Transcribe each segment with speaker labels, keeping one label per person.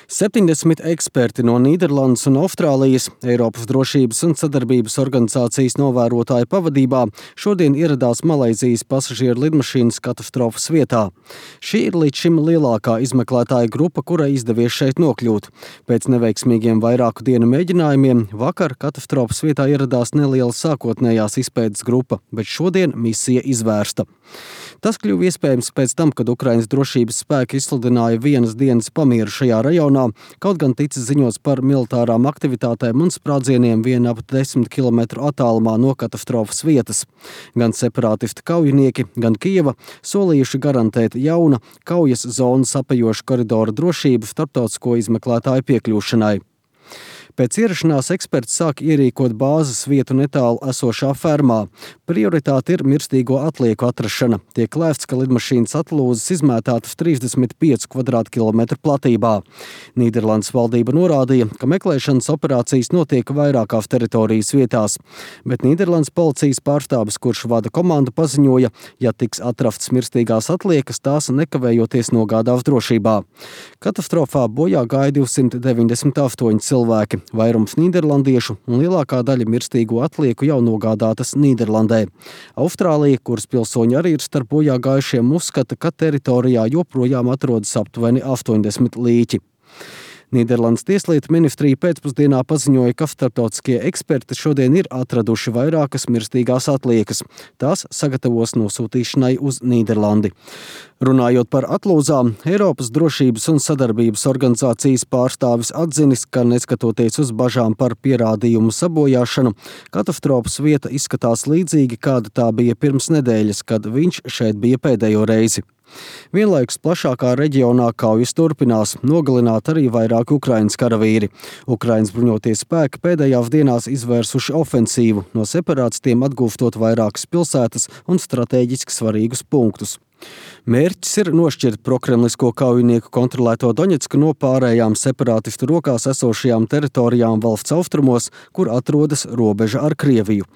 Speaker 1: 70 eksperti no Nīderlandes un Austrālijas Eiropas drošības un sadarbības organizācijas novērotāju pavadībā šodien ieradās Malaizijas pasažieru lidmašīnas katastrofas vietā. Šī ir līdz šim lielākā izmeklētāja grupa, kurai izdevies šeit nokļūt. Pēc neveiksmīgiem vairāku dienu mēģinājumiem vakar katastrofas vietā ieradās neliela sākotnējās izpētes grupa, bet šodien misija izvērsta. Tas kļuva iespējams pēc tam, kad Ukrainas drošības spēki izsludināja vienas dienas pamieru šajā rajonā, kaut gan ticis ziņots par militārām aktivitātēm un sprādzieniem vien ap 10 kilometru attālumā no katastrofas vietas. Gan separātisti kaujinieki, gan Kijeva solījuši garantēt jauna kaujas zonas apajošu koridoru drošību starptautisko izmeklētāju piekļūšanai. Pēc ierašanās eksperti sāk ierīkot bāzes vietu netālu esošā fermā. Prioritāte ir mirstīgo atlieku atrašana. Tiek lēsts, ka lidmašīnas atlūzas izmētātas 35 kvadrātkilometru platībā. Nīderlandes valdība norādīja, ka meklēšanas operācijas notiek vairākās teritorijas vietās, bet Nīderlandes policijas pārstāvis, kurš vada komandu, paziņoja, ja tiks atrastas mirstīgās atliekas, tās nekavējoties nogādās drošībā. Katastrofā bojā gāja 298 cilvēki. Vairums nīderlandiešu un lielākā daļa mirstīgo atlieku jau nogādātas Nīderlandē. Austrālija, kuras pilsoņi arī ir starp bojā gājušiem, uzskata, ka teritorijā joprojām atrodas aptuveni 80 līķi. Nīderlandes tieslietu ministrija pēcpusdienā paziņoja, ka starptautiskie eksperti šodien ir atraduši vairākas mirstīgās atliekas. Tās sagatavos nosūtīšanai uz Nīderlandi. Runājot par atlūzām, Eiropas drošības un sadarbības organizācijas pārstāvis atzinis, ka neskatoties uz bažām par pierādījumu sabojāšanu, katastrofas vieta izskatās līdzīgi, kāda tā bija pirms nedēļas, kad viņš šeit bija pēdējo reizi. Vienlaikus plašākā reģionā kaujas turpinās, nogalināt arī vairāki Ukrainas karavīri. Ukrainas bruņotie spēki pēdējās dienās izvērsuši ofensīvu, no separātistiem atgūstot vairākas pilsētas un strateģiski svarīgus punktus. Mērķis ir nošķirt prokremlisko kaujinieku kontrolēto Doņetsku no pārējām separātistu rokās esošajām teritorijām valsts austrumos, kur atrodas robeža ar Krieviju.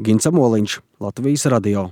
Speaker 1: Gins Amoliņš, Latvijas radio.